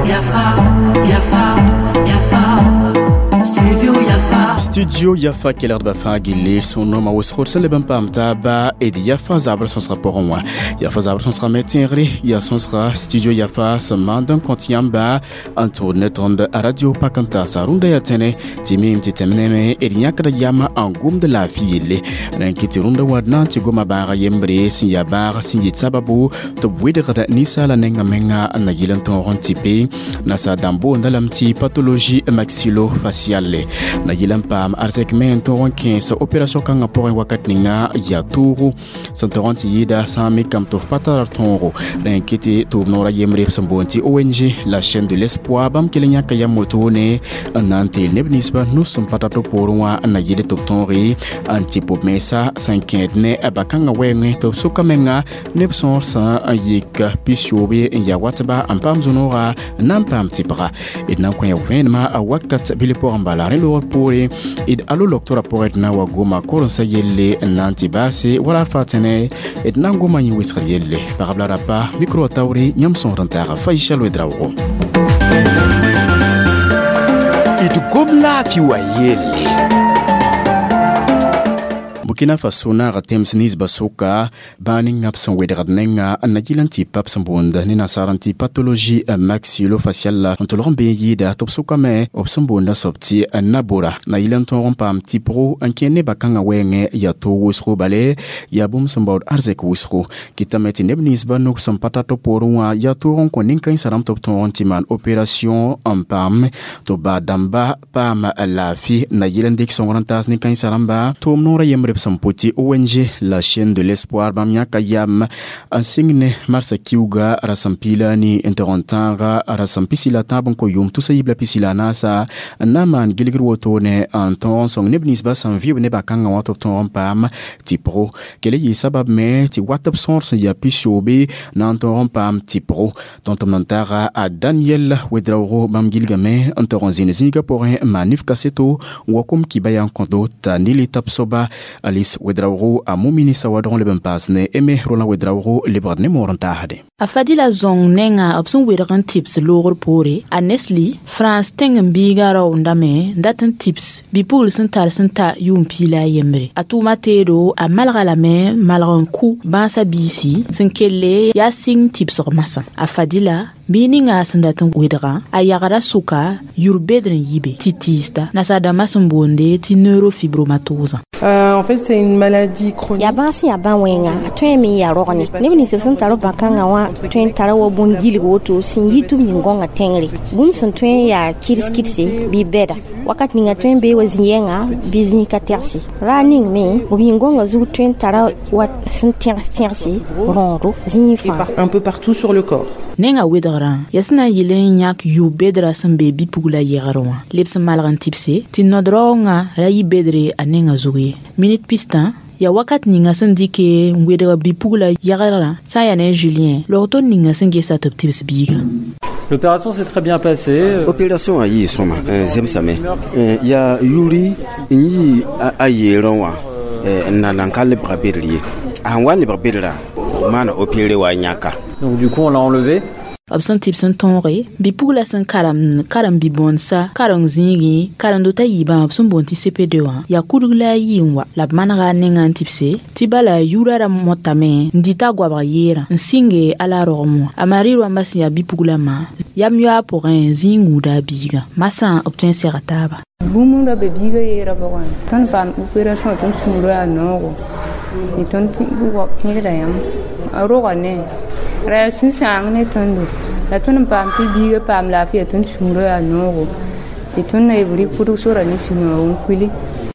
Yafa, Yafa, Yafa, Studio Yafa. Studio Yafa kelgdbã fãa gilli sõn-noomã wʋsg d sẽn leb n paam taaba d Yafa zabr sõsgã pʋgẽ wã. Yafa zabr sõsgã me tẽegre yaa sõsga Studio Yafa sẽn maand n kõt yãmba n tʋgd ne tõnd radio pak n taasa. Rũndã yaa tẽne tɩ mim tɩ tẽm neme d yãkda yam n gomd laafɩ yelle. Rẽn kɩ tɩ rũndã wã d na n tɩ goma bãaga yembre sẽn yaa bãag sẽn yɩ sababu tɩ b wɩdgd ninsaala nengã menga n na yɩl n tõog n tɩpe. Nasaar dãmb boonda lame tɩ pathologie maxillofaciale. Na yɩl n paam arzɛk me n tõog n kẽes opération kãngã pʋgẽ wakat ninga yaa toogo sẽn tog n tɩ yɩɩda sã n mikame tɩ f pa tara tõogo. Rẽ kɩ tɩ tʋʋm-noorã yembre b sẽn boond tɩ ONG La Chaîne de l'Espoir bãmb kell n yãka yam wotone n na n teel neb ninsbã nus sẽn pa tar tɩ poorẽ wã n na yɩl tɩ b tõoge n tɩ b mensa sẽn kẽed ne ba-kãngã wɛɛngẽ tɩ b soka menga neb sõor sã n yik 90 n yaa watba n paam zũ-nooga n na n paam tɩpga. D na n kõ ya vẽenemã a wakat bil pʋgẽ bala. Rẽ loogr poore d alo loktora pʋgẽ d na wa goma korensã yelle n na n tɩ baase wala alfa tẽne d na n goma yẽ wɩsgr yelle. Pagb la rapa mikro wã taoore yãmb sõor n taaga Faisal Ouedraogo. D gom laafɩ wã yelle. Burkina Faso naaga tẽms ninsbã sʋka bãa ninga b sẽn wedgd nenga n na yɩl n tɩ pa b sẽn boond ne nasaar n tɩ pathologie maxillofaciale n tolg n bee n yɩɩda tɩ b sʋkame b sẽn boonda soab tɩ nabora na yɩl n tõog n paam tɩpgo n kẽ nebã kãngã wɛɛngẽ yaa toog wʋsgo bale yaa bũmb sẽn baood arzɛk wʋsgo. Kɩtame tɩ neb ninsbã nug sẽn pa tar tɩ poorẽ wã yaa toog n kõ nin-kãensã rãmb tɩ b tõog n tɩ maan opération n paam tɩ b baa dãmba paam laafɩ na yɩl n dɩk sõngr n taas nin-kãensã rãmba. Tʋʋm-noorã yembre b sẽn pʋ tɩ ONG La Chaîne de l'Espoir bãmb yãka yam n sɩng ne marsã kiuga rasem piila ni n tog n tãaga rasem pisi la tãab n kõ yʋʋm tusa yiib la pisi la naasa n na n maan gilgr wotone n tõog n sõng neb ninsbã sẽn vɩʋb nebã kãngã wã tɩ b tõog n paam tɩpgo. Kell yɩ sabab me tɩ wat b sõor sẽn yaa 90 na n tõog n paam tɩpgo. Tõnd tɩ m nan taaga a Daniel Ouedraogo bãmb gilgame n tog n zĩnd zĩigã pʋgẽ n maan nif kaseto n wa kom kiba yaa n kõdo t'a nili tab soaba Alice Ouedraogo a Mumini Sawadron leb n paas ne Aimé Roland Ouedraogo lebgd ne moor n taasde. A Fadila zõng nenga b sẽn wedg n tɩbs loogr poore a Nestlé France tẽng n biiga raoondame n dat n tɩbs bi-pugl sẽn tar sẽn ta yʋʋm piila a yembre. A tʋʋma teedo a malga lame malg n kʋ bãasã biisi sẽn kelle yaa sɩng tɩbsg masã. A Fadila bii ninga sẽn dat n wedgã a yagda sʋka yur bedr n yibe tɩ tiisda nasaar-dãmbã sẽn boonde tɩ neurofibromatosã. En fait, c'est une maladie chronique. Ya bãas yaa bã-wẽnga a tõe me n yaa rogne. Neb nins b sẽn tar b bã-kãngã wã tõe n tara wa bũn gilg woto sẽn yɩ tɩ b ning-gõngã tẽngre. Bũmb sẽn tõe n yaa kɩds-kɩdse bɩ bɛda. Wakat ninga tõe n bee wa zĩ-yɛnga bɩ zĩig ka tɛgse. Raar ning me b yĩn-gõngã zug tõe n tara wa sẽn tẽgs-tẽgse rõodo zĩig fãa. Un peu partout sur le corps. Nenga wedgrã yaa sẽn na n yɩl n yãk yʋ bedrã sẽn be bi-pugla yɛgr wã leb sẽn malg n tɩbse tɩ nod-raoongã ra yɩ bedre a nenga zug ye. Minit pistã yaa wakat ninga sẽn dɩke n wedg bi-pugla yɛgrã sã n yaa ne Julien log-ton ninga sẽn gesa tɩ b tɩbs biigã. L'opération s'est très bien passée. Opération a yi soma zemsame ya yuri yi a yeron wa na nan kalle brabirli a wani brabirla mana opéré wa nyaka. Donc du coup on l'a enlevé. B sẽn tɩbs n tõoge bi-pugla sẽn karem karem bi-bõndsa kareng zĩigẽ karendo t'a yiibã b sẽn boond tɩ CP2 wã yaa kudg la a yɩ n wa la b manega a nengã n tɩbse tɩ bala yʋʋra ra motame n dɩta a goabg yeerã n sɩnge a la rogem wã. A Marie rãmbã sẽn yaa bi-puglã ma yam yoa pʋgẽ zĩig gũuda a biigã masã b tõe n sega taaba. Bũmb ra be biigã yeerã pʋgẽ tõnd paam opération tõnd sũurã yaa noogo tɩ tõnd pẽgda yãmb a roga ne ra yaa sũ-sãang ne tõndo la tõnd n paam tɩ biigã paam laafɩya tõnd sũurã yaa noogo tɩ tõnd na b rɩk pʋdg sora ne sũ-noog n kuili.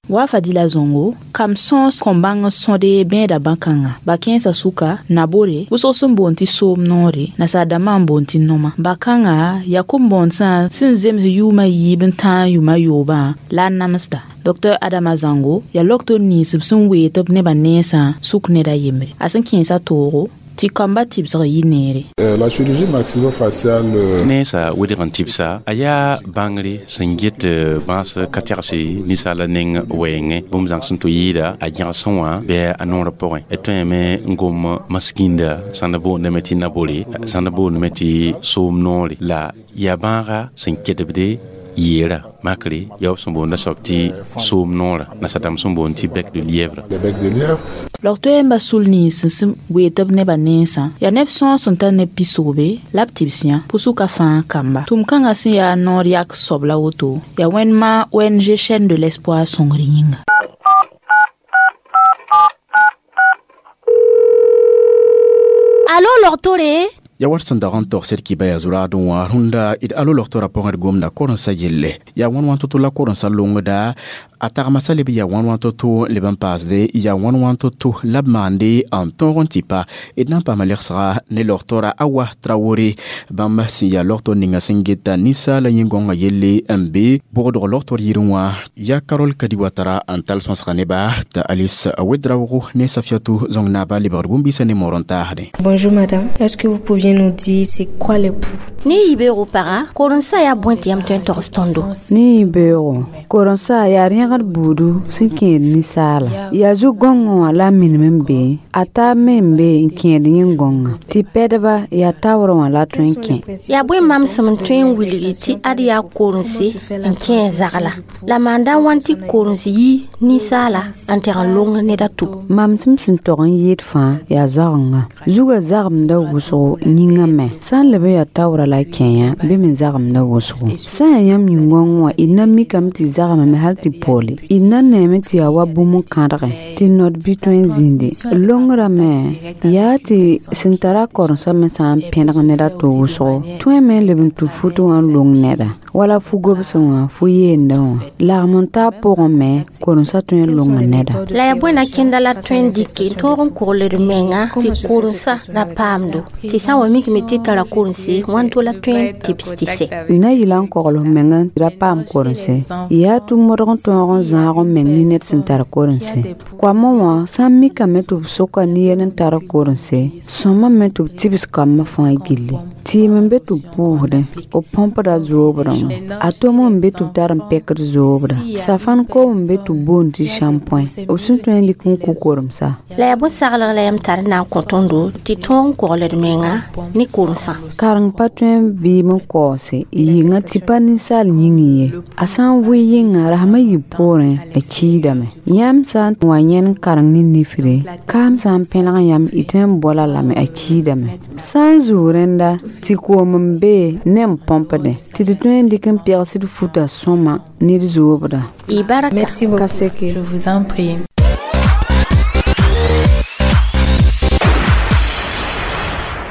Wa Fadila Zongo kam sõs kõn bãng n sõde bẽeda bã-kãngã ba kẽensã sʋka nabore wʋsg sẽn boond tɩ soom noore nasaar-dãmbã n boond tɩ noma ba-kãngã yaa kom-bõondsã sẽn zems yʋʋmã yiib n tãag yʋʋma yoobã la a namsda. Dr Adama Zango yaa loktor nins b sẽn wee tɩ b nebã nensã sʋk ned a yembre. A sẽn kẽesa toogo tɩ Tɩ kamba tɩbsg yɩ neere. La chirurgie maxillofaciale Nensa wedg n tɩbsa a yaa bãngre sẽn get bãas ka tɛgse ninsaala neng wɛɛngẽ bũmb zãng sẽn tɩ yɩɩda a gẽgsẽ wã bɩ a noorã pʋgẽ d tõeme n gom maskinda sãn da boondame tɩ nabore, sãn da boondame tɩ soom noore, la yaa bãaga sẽn kedbde yeera makre yaa b sẽn boonda soab tɩ soom noora, nasadãmb sẽn boond tɩ bec de lièvre. Log-toeembã sul nins sẽn weet b nebã nensã yaa neb sõor sẽn tar neb pisoobe la b tɩbs yã pʋsʋka fãa kamba. Tʋm-kãngã sẽn yaa noor yak soab la woto yaa wẽnma ONG Chaîne de l'Espoir sõngr yĩnga. Alo log-tore. Ya wat sẽn dag n togsd kɩba yaa zuraadẽ wã rũnda d alo logtora pʋgẽ d gomda korensã yelle yaa wãn wãn to-to la korensã longda a tagma sa leb yaa wãn wãn to-to leb n paasde yaa wãn wãn to-to la b maande n tõog n tɩ pa d na n paama legsga ne logtora Awa Traoré bãmb sẽn yaa logtor ninga sẽn geta ninsaala yĩn-gõngã yelle n be bʋgdg logtor yirẽ wã yaa Karol Kadi Watara n tall sõsga neba t'a Alice Wedraogo ne Safiatou Zong naaba lebgd bũmb-biisã ne moor n taasdẽ. Bonjour madame, est-ce que vous pouviez nous dire c'est quoi les poux? Ne yibeoogo paga, korensa yaa bõe tɩ yãmb tõe n togs tõndo? Ne yibeoogo korensa yaa rẽgd buudu sẽn kẽed ninsaala yaa zu-gõngẽ wã la a minim n be a taab me n be n kẽed yĩn-gõngã tɩ pɛdba yaa taoorã wã la a tõe n kẽ. Yaa bõe mam sẽm n tõe n wilgi tɩ ad yaa korense n kẽ zagla la maanda wãn tɩ korens yi ninsaala n teg n long ned a to? Mam sẽm sẽn tog n yɩɩd fãa yaa zagenga zugã zagemda wʋsgo yĩngã me sã n leb n yaa taoorã la a kẽ yã bɩ me zagemda wʋsgo sã n yaa yãmb yĩn-gõngẽ wã d na mikame tɩ zagemame hal tɩ poole d na neeme tɩ yaa wa bũmb n kãdgẽ tɩ nod bɩ tõe n zĩndi longrã me yaa tɩ sẽn tara korensã me sã n pẽneg ned a to wʋsgo tõeme n leb n tũ fut wã n long neda wala fu-gobsẽ wã fu-yeendẽ wã lagm n taa pʋgẽ me korensã tõe n longa neda. La yaa bõe na kẽnda la tõe n dɩke n tõog n kogld menga tɩ korensa ra paamdo tɩ sã n wa mikame tɩ tara korense wãn to la tõe n tɩbs tɩ sɛ? Na yɩla n kogl f menga tɩ ra paam korense yaa tɩ modg n tõog n zãag n meng ne ned sẽn tar korense koamã wã sã n mikame tɩ b soka ne-yel n tar korense sõma me tɩ b tɩbs kambã fãa gilli tɩɩm n be tɩ b pʋʋsdẽ b põmpda zoobrã wã a tom n be tɩ b tar n pɛkd zoobra safan koom n be tɩ b boond tɩ shampoing b sẽn tõe n dɩk n kʋ koremsa. La yaa bõe-saglg la yãmb tar n na n kõ tõndo tɩ tõog n kogld menga ne korensã? Kareng pa tõe n vɩɩm n kaoose yɩnga tɩ pa ninsaal yĩngẽ ye a sã n vʋɩ yɩnga rasmã yib poorẽ a kiidame yãmb sã n wa yẽn kareng ne nifre kaam sã n pẽlg yãmb y tõe n bola lame a kiidame sã n zug rẽnda tɩ koom n be ne n põmpdẽ tɩ tɩ tõe n dɩk n pɛgsd futa sõma ned zoobda. Merci beaucoup. Ka seke. Je vous en prie.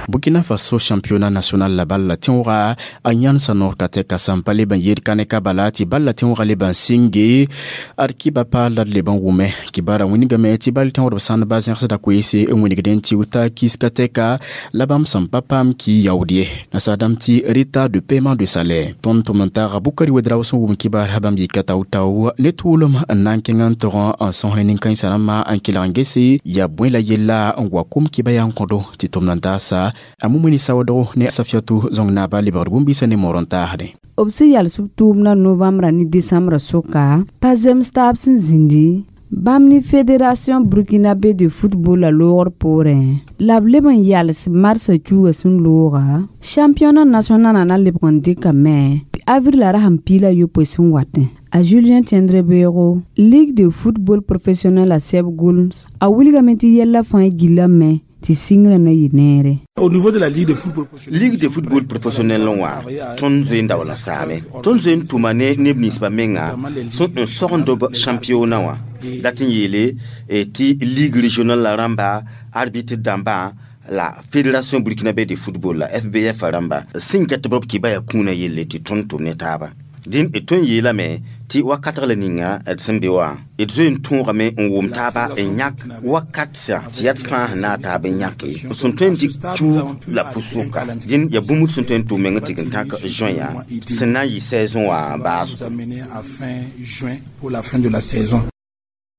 Burkina Faso championnat national la bal la tẽoogã a yãnsa noor ka tɛka sãn pa leb n yed kãneka bala tɩ bal la tẽoogã leb n sɩnge ad kɩba paal la d leb n wʋme kibara wĩnigame tɩ bal tẽoodb sãndba zẽgsda koeese n wĩnigdẽ tɩ wta kiska tɛka la bãmb sẽn pa paam ki yaood ye nasaadãmb tɩ retard de paiement de salaire. Tõnd tʋm n taaga Bukari Wedrao sẽn wʋm kibar bãmb yika tao-tao ne tʋʋlem n na n kẽng n tog n sõs ne nin-kãensã rãmbã n kelg n gese yaa bõe la yella n wa kom kɩba yaa n kõdo tɩ tʋm na n taasa a Mumuni Sawadogo ne Safiatou Zong naaba lebgd bũmb-biisã ne moor n taasdẽ. B sẽn yals b tʋʋmdã novembra ne desãmbrã sʋka pa zems taab sẽn zĩndi bãmb ne fédération burkinabé de football la loogr poorẽ la b leb n yals marsã cuuga sẽn looga championnat national na lebg n dɩkame avril la rasẽn piila yopoe sẽn watẽ a Julien Tiendrebeogo ligue de football professionnel a sɛb gʋls a wilgame tɩ yɛlla fãa gillame tɩ sɩngrã na yɩ neere. Au niveau de la Ligue de football professionnel, Ligue de football professionnel wã tõnd zoe n daool n saame tõnd zoe n tʋma ne neb ninsbã menga sẽn n sogend b championnat wã dat n yeele tɩ ligue régional la rãmba arbitre dãmbã la fédération burkinabé de football la FBF rãmba sẽn get b kɩba yaa kũunã yelle tɩ tõnd tʋm ne taaba dĩn d tõe n yeelame tɩ wakatg la ninga d sẽn be wã d zoe n tõogame n wʋm taaba n yãk wakat sã tɩ yaa d fãa sẽn naag taab n yãke sẽn tõe n dɩk cuug la pʋ-sʋka dĩn yaa bũmb sẽn tõe n tʋm meng tɩ n tãk juin sẽn na n yɩ saison wã baasgo. Nous amener à fin juin pour la fin de la saison.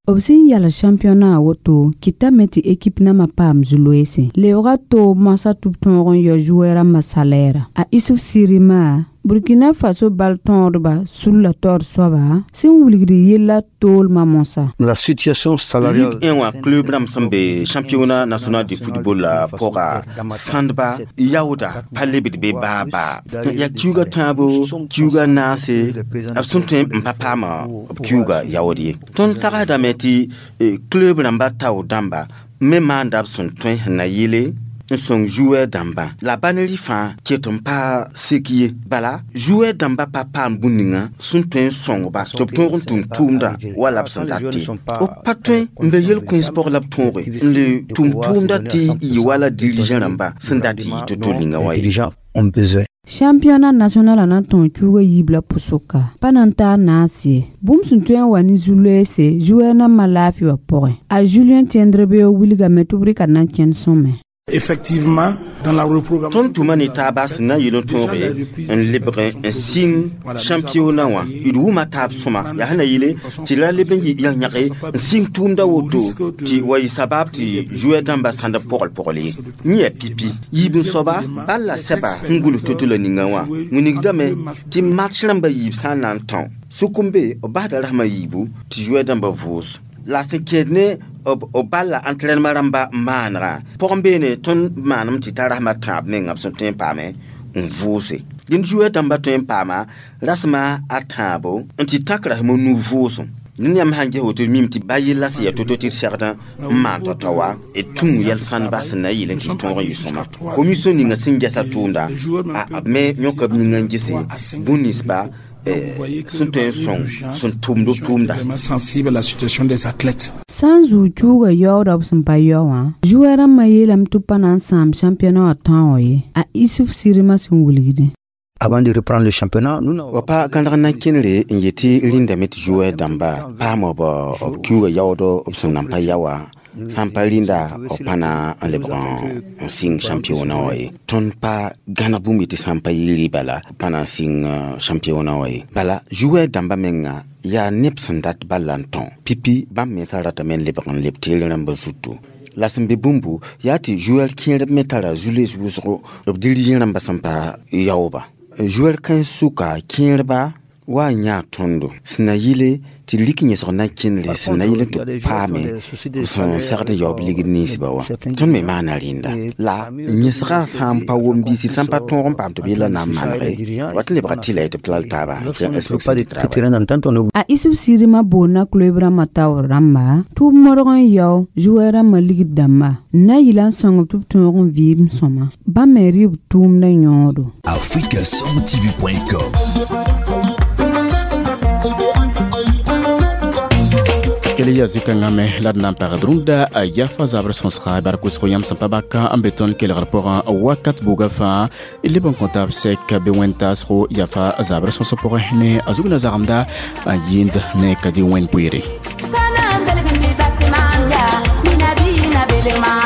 B sẽn yals championnat woto kɩtame tɩ ekip nambã paam zu-loeese lebga toog moasã tɩ b tõog n yao joueur rãmbã salɛɛra. A Isuf Sirima, Burkina Faso bal tõodba sulla taoor soaba sẽn wilgd yella toolmã mosã. La situation salariale. Ligue 1 wã club rãmb sẽn be championnat national de football la pʋga sãndba yaooda pa lebd be baa baa. Yaa kiuga tãabo, kiuga naase, b sẽn tõe n pa paama b kiuga yaood ye. Tõnd tagsdame tɩ club rãmba tao dãmba me maanda b sẽn tõe sẽn na yɩle n sõng joueur dãmbã la baneri fãa ket n pa sek ye. Bala joueur dãmbã pa paam bũmb ninga sẽn tõe n sõngba tɩ b tõog n tʋm tʋʋmdã wala b sẽn dat tɩ b pa tõe n be yel-kõens pʋg la b tõoge n le tʋm tʋʋmdã tɩ yɩ wala dirigeant rãmba sẽn dat tɩ yɩ to-to ninga wã ye. Championnat national a na n tõog kiuga yiib la pʋsʋka pa na n taa naas ye. Bũmb sẽn tõe n wa ne zu-loeese joueur nambã laafɩ wã pʋgẽ. A Julien Tiendrebeo wilgame tɩ b rɩka na n kẽnd sõme. Effectivement, dans la reprogrammation. Tõnd tʋma ne taaba sẽn na n yɩl n tõoge n lebg n sɩng championnat wã d wʋma taab sõma yaa sẽn na yɩle tɩ ra leb n yãg-yãge n sɩng tʋʋmda woto tɩ wa yɩ sabab tɩ joueur dãmbã sãnd pogl-pogl ye. Yẽ yaa pipi yiib n soaba bal la sɛba sẽn gʋls to-to la ninga wã wilgdame tɩ match rãmbã yiib sã n na n tão sʋk n be b basda rasmã yiibu tɩ joueur dãmbã vʋʋs. La sẽn kẽed ne b bal la entraînement rãmba maanegã pʋgẽ beene tõnd maanem tɩ t'a rasmã tãab menga b sẽn tõe n paame n vʋʋse. Dẽnd joueur dãmbã tõe n paama rasmã a tãabo n tɩ tãk rasem nu vʋʋsem. Ned yãmb sãn ges woto mim tɩ ba yella sẽn yaa to-to tɩ d segdã n maan tao-tao wã d tũu yɛl sãndba sẽn na n yɩl n tɩ tõog n yɩ sõma. Commission ninga sẽn gɛsa tʋʋmda b me yõka b yĩngã n gese bũn ninsba sẽn tõe n sõng sẽn tʋmd b tʋʋmda. Sensible à la situation des athlètes. Sã n zuu kiuga yaooda b sẽn pa yao wã, joueur rãmbã yeelame tɩ b pa na n sãam championnat wã tãoog ye. A Isuf Sirima sẽn wilgdẽ. Avant de reprendre le championnat, nous wa pa gãneg n na n kẽnere n yetɩ rĩndame tɩ joueur dãmba paam b kiuga yaood b sẽn nan pa yaoa sã n pa rĩnda b pa na n lebg n sɩng championnat wã ye. Tõnd pa gãneg bũmb tɩ sã n pa yɩ bala pa na n sɩng championnat wã ye. Bala joueur dãmbã menga yaa neb sẽn dat bal la n tão pipi bãmb mensã ratame n lebg n leb teere rãmbã zutu. La sẽn be bũmbu yaa tɩ joueur kẽerb me tara zu-loees wʋsgo b dirigeant rãmbã sẽn pa yaooba. Joueur kãens sʋka kẽerba wa n yãa tõndo sẽn na yɩle tɩ lik yẽsg na n kẽnere sẽn na yɩl tɩ paame sẽn segd n yaoob ligd ninsba wã. Tõnd me maana rẽnda la yẽsgã sã n pa wom biisi sã n pa tõog n paam tɩ b yella na n manege wat n lebga tɩ la tɩ b tall taaba kẽ inspection du travail. A Isuf Sirima boonna club rãmbã taoor rãmba tɩ b modg n yao joueur rãmbã ligd dãmba n na yɩla n sõng tɩ b tõog n vɩɩm sõma. Bãmb me rɩ b tʋʋmdã yõodo. africasongtv.com. Kele ya zikãngã me la d na n pagd rũndã a yafa zabr sõsga bark wʋsg yãmb sẽn pa baka n be tõnd kelgr pʋgã wakat buga fãa leb n kõ taab sɛk bɩ wẽn-taasgo yafa zabr sõsg pʋgẽ ne a zug na zagemda n yɩɩnd ne ka dɩ wẽn poeere. Kana belgin bi basi manja, mina bi na belma.